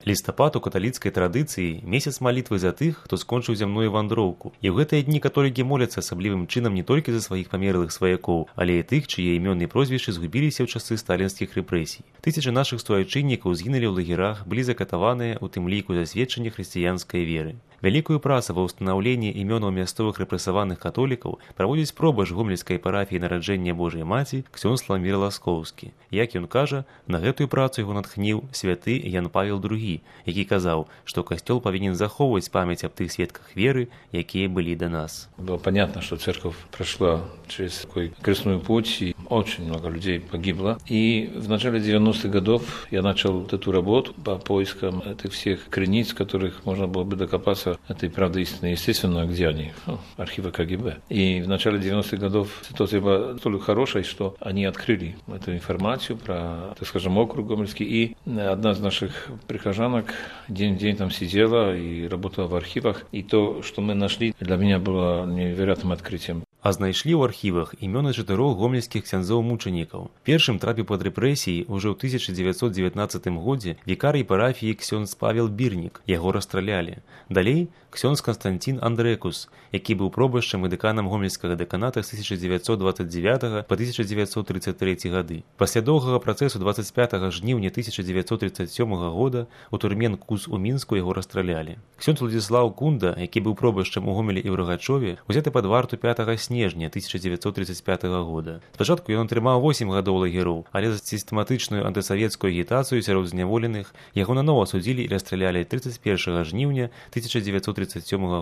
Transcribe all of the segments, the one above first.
Лістапад у каталіцкай традыцыі месяц малітвы за тых, хто скончыў зямную вандроўку. І ў гэтыя дні католікі моляцца асаблівым чынам не толькі за сваіх памерлых сваякоў, але і тых, чые імёны і прозвішчы згубіліся ў часы сталінскіх рэпрэсій. Тысячы нашых суайчыннікаў згінулі ў лагерах, былі закатаваныя, у тым ліку за сведчанне хрысціянскай веры. Вялікую працу ва ўстанаўленні імёнаў мясцовых рэпрэсаваных католікаў праводзіць пробач гомельскай парафіі нараджэння Божай Маці ксёндз Ламір Ласкоўскі. Як ён кажа, на гэтую працу яго натхніў святы Ян Павел II, які казаў, што касцёл павінен захоўваць памяць аб тых сведках веры, якія былі да нас. Было понятно, что церковь прошла через такой крестную путь, и очень много людей погибло. И в начале 90-х годов я начал эту работу по поискам этих всех крениц, которых можно было бы докопаться этой правды истины. Естественно, где они? Архивы КГБ. И в начале 90-х годов ситуация была столько хорошей, что они открыли эту информацию про, так скажем, округ Гомельский. И одна из наших прихожанок день в день там сидела и работала в архивах. И то, что мы нашли, для меня было невероятным открытием. А знайшлі ў архівах імёны 4 гомельскіх ксяндзоў-мучанікаў. Першым трапіў пад рэпрэсіі ўжо ў 1919 годзе вікарый парафіі ксёндз Павел Бірнік. Яго расстралялі. Далей ксёндз Канстантін Андрэкус, які быў пробашчам і дэканам гомельскага дэканата з 1929 па 1933 гады. Пасля доўгага працэсу 25 жніўня 1937 года у турме НКУЗ у Мінску яго расстралялі. Ксёндз Владзіслаў Кунда, які быў пробашчам у Гомелі і ў Рагачове, узяты пад варту 5 снежня 1935 года. Спачатку ён атрымаў 8 гадоў лагероў, але за сістэматычную антысавецкую агітацыю сярод зняволеных яго нанова судзілі і расстралялі 31 жніўня 1937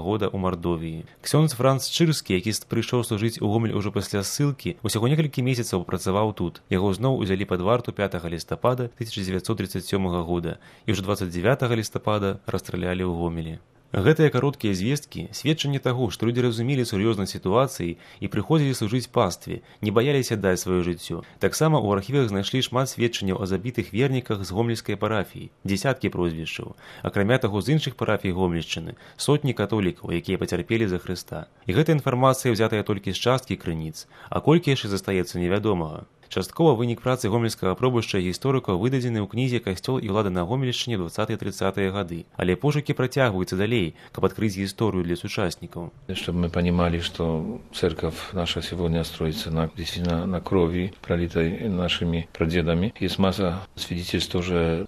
года ў Мардовіі. Ксёндз Франц Чырскі, які прыйшоў служыць у Гомель ужо пасля ссылкі, усяго некалькі месяцаў працаваў тут. Яго зноў узялі пад варту 5 лістапада 1937 года і ўжо 29 лістапада расстралялі ў Гомелі. Гэтыя кароткія звесткі – сведчанне таго, што людзі разумелі сур'ёзнасць сітуацыі і прыходзілі служыць пастве, не баяліся даць сваё жыццё. Таксама ў архівах знайшлі шмат сведчанняў о забітых верніках з гомельскай парафіі, дзесяткі прозвішчаў. Акрамя таго, з іншых парафій Гомельшчыны сотні католікаў, якія пацярпелі за Хрыста. І гэта інфармацыя ўзятая толькі з часткі крыніц, а колькі яшчэ застаецца невядомага. Часткова вынік працы гомельскага пробашча і гісторыкаў выдадзены ў кнізе «Касцёл і ўлада на Гомельшчыне 20-30-е гады». Але пошукі працягваюцца далей, каб открыть историю для участников. Чтобы мы понимали, что церковь наша сегодня строится действительно на крови, пролитой нашими прадедами. Есть масса свидетельств тоже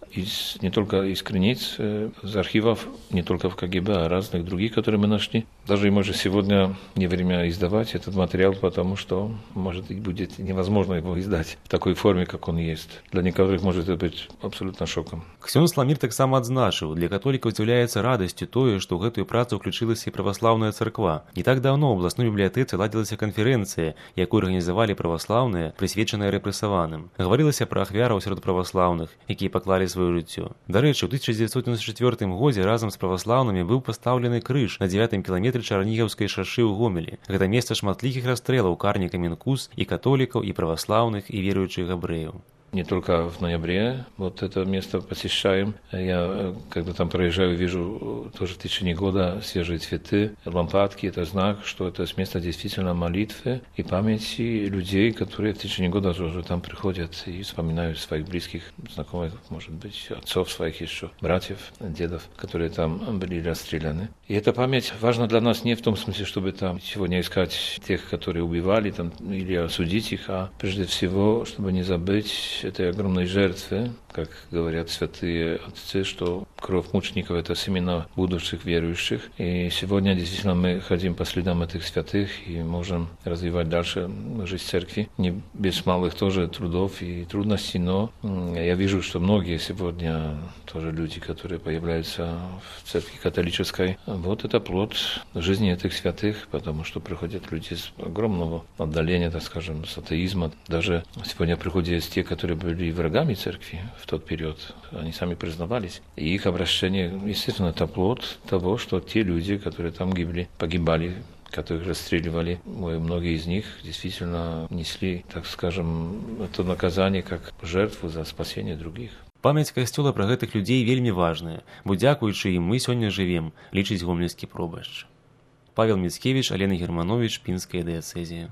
не только из крыниц, из архивов, не только в КГБ, а разных других, которые мы нашли. Даже может сегодня не время издавать этот материал, потому что, может быть, будет невозможно его издать в такой форме, как он есть. Для некоторых может это быть абсолютно шоком. Ксёндз Ламір таксама адзначыў, для католікаў з'яўляецца радасцю тое, што ў гэтую працу ўключылася і праваслаўная царква. Не так даўно ў абласной бібліятэцы ладзілася канферэнцыя, якую арганізавалі праваслаўныя, прысвечаная рэпрэсаваным. Гаварылася пра ахвяраў сярод праваслаўных, якія паклалі сваё жыццё. Дарэчы, ў 1994 годзе разам з праваслаўнымі быў пастаўлены крыж на 9-м кіламетры Чарнігаўскай шашы ў Гомелі. Гэта месца шматлікіх расстрэлаў карнікамі НКУЗ і католікаў, і праваслаўных, и верующих габрэяў. Не только в ноябре вот это место посещаем. Я, когда там проезжаю, вижу тоже в течение года свежие цветы, лампадки. Это знак, что это место действительно молитвы и памяти людей, которые в течение года уже там приходят и вспоминают своих близких, знакомых, может быть, отцов своих еще, братьев, дедов, которые там были расстреляны. И эта память важна для нас не в том смысле, чтобы там сегодня искать тех, которые убивали там, или осудить их, а прежде всего, чтобы не забыть этой огромной жертвы, как говорят святые отцы, что кровь мучеников – это семена будущих верующих. И сегодня действительно мы ходим по следам этих святых и можем развивать дальше жизнь церкви. Не без малых тоже трудов и трудностей, но я вижу, что многие сегодня тоже люди, которые появляются в церкви католической, вот это плод жизни этих святых, потому что приходят люди с огромного отдаления, так скажем, с атеизма. Даже сегодня приходят есть те, которые были врагами церкви в тот период, они сами признавались. И их обращение, естественно, это плод того, что те люди, которые там погибали, которых расстреливали, многие из них действительно несли, так скажем, это наказание как жертву за спасение других. Памяць касцёла пра гэтых людзей вельмі важная, бо дзякуючы ім мы сёння жывем, лічыць гомельскі пробашч. Павел Міцкевіч, Алена Германович, Пінская дыяцэзія.